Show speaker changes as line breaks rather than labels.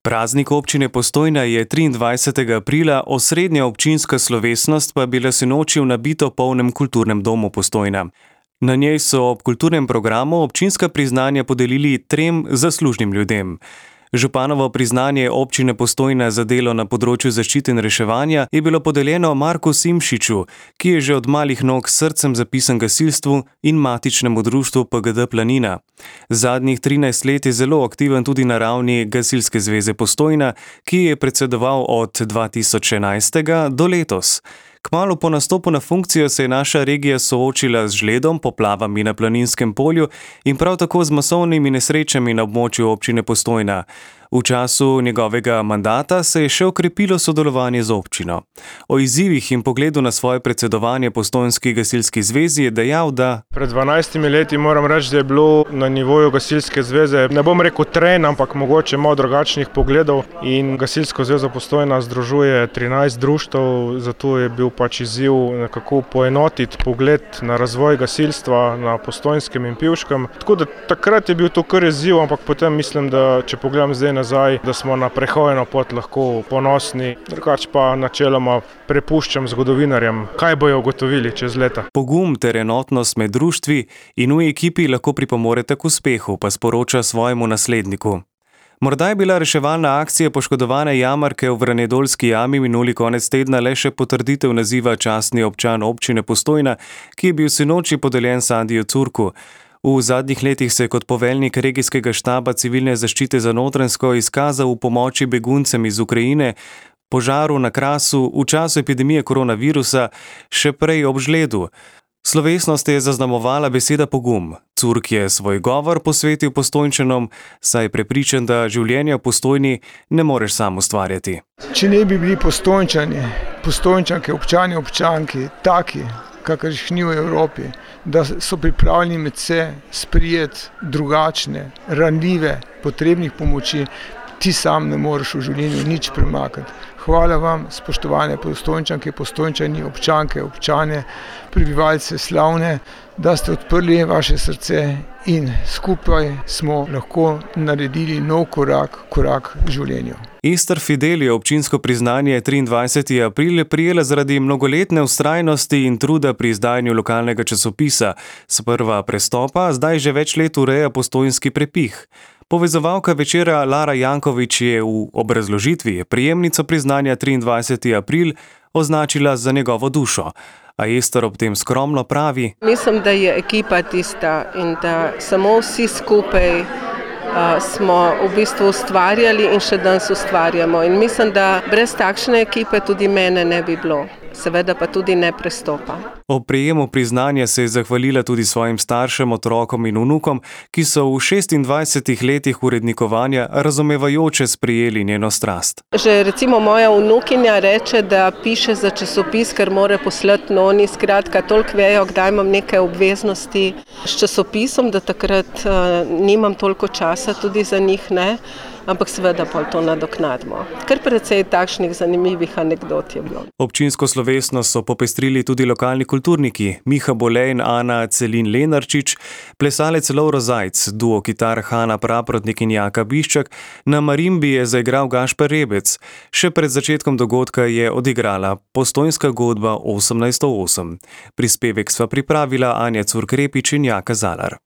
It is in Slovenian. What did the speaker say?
Praznik občine Postojna je 23. aprila, osrednja občinska slovesnost pa bila sinoči v nabito polnem kulturnem domu Postojna. Na njej so ob kulturnem programu občinska priznanja podelili 3 zaslužnim ljudem. Županovo priznanje občine Postojna za delo na področju zaščite in reševanja je bilo podeljeno Marku Simšiču, ki je že od malih nog s srcem zapisan gasilstvu in matičnemu društvu PGD Planina. Zadnjih 13 let je zelo aktiven tudi na ravni Gasilske zveze Postojna, ki je predsedoval od 2011. do letos. Kmalu po nastopu na funkcijo se je naša regija soočila z žledom, poplavami na Planinskem polju in prav tako z masovnimi nesrečami na območju občine Postojna. V času njegovega mandata se je še okrepilo sodelovanje z občino. O izzivih in pogledu na svoje predsedovanje Postojnski gasilski zvezi je dejal, da
pred 12 leti moram reči, da je bilo na nivoju Gasilske zveze, ne bom rekel tren, ampak mogoče malo drugačnih pogledov, in Gasilsko zvezo Postojna združuje 13 društev, zato je bil izziv nekako poenotiti pogled na razvoj gasilstva na Postojnskem in Pivškem. Tako da takrat je bil to kar izziv, ampak potem mislim, da če pogledam zdaj nazaj, da smo na prehojeno pot lahko ponosni, drugače pa načeloma prepuščam zgodovinarjem, kaj bojo ugotovili čez leta.
Pogum ter enotnost med društvi in v ekipi lahko pripomorete k uspehu, pa sporoča svojemu nasledniku. Morda je bila reševalna akcija poškodovane jamarke v Vranedolski jami minuli konec tedna le še potrditev naziva častni občan občine Postojna, ki je bil sinoči podeljen Sandiju Curku. V zadnjih letih se je kot poveljnik regijskega štaba civilne zaščite za Notranjsko izkazal v pomoči beguncem iz Ukrajine, požaru na Krasu, v času epidemije koronavirusa, še prej ob žledu. Slovesnost je zaznamovala beseda pogum. Curk je svoj govor posvetil Postojnčanom, saj je prepričan, da življenja v Postojni ne moreš sam ustvarjati.
Če ne bi bili Postojnčani, Postojnčanke, občani, občanki, taki, kakršnih ni v Evropi, da so pripravljeni med se sprijeti drugačne, ranljive, potrebnih pomoči, ti sam ne moreš v življenju nič premakati. Hvala vam, spoštovane Postojnčanke, Postojnčani, občanke, občane, prebivalce Slavne, da ste odprli vaše srce in skupaj smo lahko naredili nov korak v življenju.
Ester Fidel je občinsko priznanje 23. april prijela zaradi mnogoletne vztrajnosti in truda pri izdajanju lokalnega časopisa. Sprva prestopa, zdaj že več let ureja Postojnski prepih. Povezovalka večera Lara Janković je v obrazložitvi prejemnico priznanja 23. april označila za njegovo dušo. A Ester ob tem skromno pravi:
Mislim, da je ekipa tista in da samo vsi skupaj smo v bistvu ustvarjali in še danes ustvarjamo. In mislim, da brez takšne ekipe tudi mene ne bi bilo. Seveda pa tudi ne prestopa.
Ob prejemu priznanja se je zahvalila tudi svojim staršem, otrokom in vnukom, ki so v 26 letih urednikovanja razumevajoče sprejeli njeno strast.
Že recimo moja vnukinja reče, da piše za časopis, ker mora poslati noni, skratka, toliko vejo, kdaj imam neke obveznosti s časopisom, da takrat nimam toliko časa tudi za njih, ne. Ampak seveda pa to nadoknadimo. Kar precej takšnih zanimivih anekdot je bilo.
Občinsko slovesnost so popestrili tudi lokalni kulturniki Miha Bolej in Ana Celin Lenarčič, plesalec Lovro Zajc, duo kitar Hana Praprotnik in Jaka Biščak, na marimbi je zaigral Gašper Rebec. Še pred začetkom dogodka je odigrala Postojnska godba 1808. Prispevek sva pripravila Anja Curk-Repič in Jaka Zalar.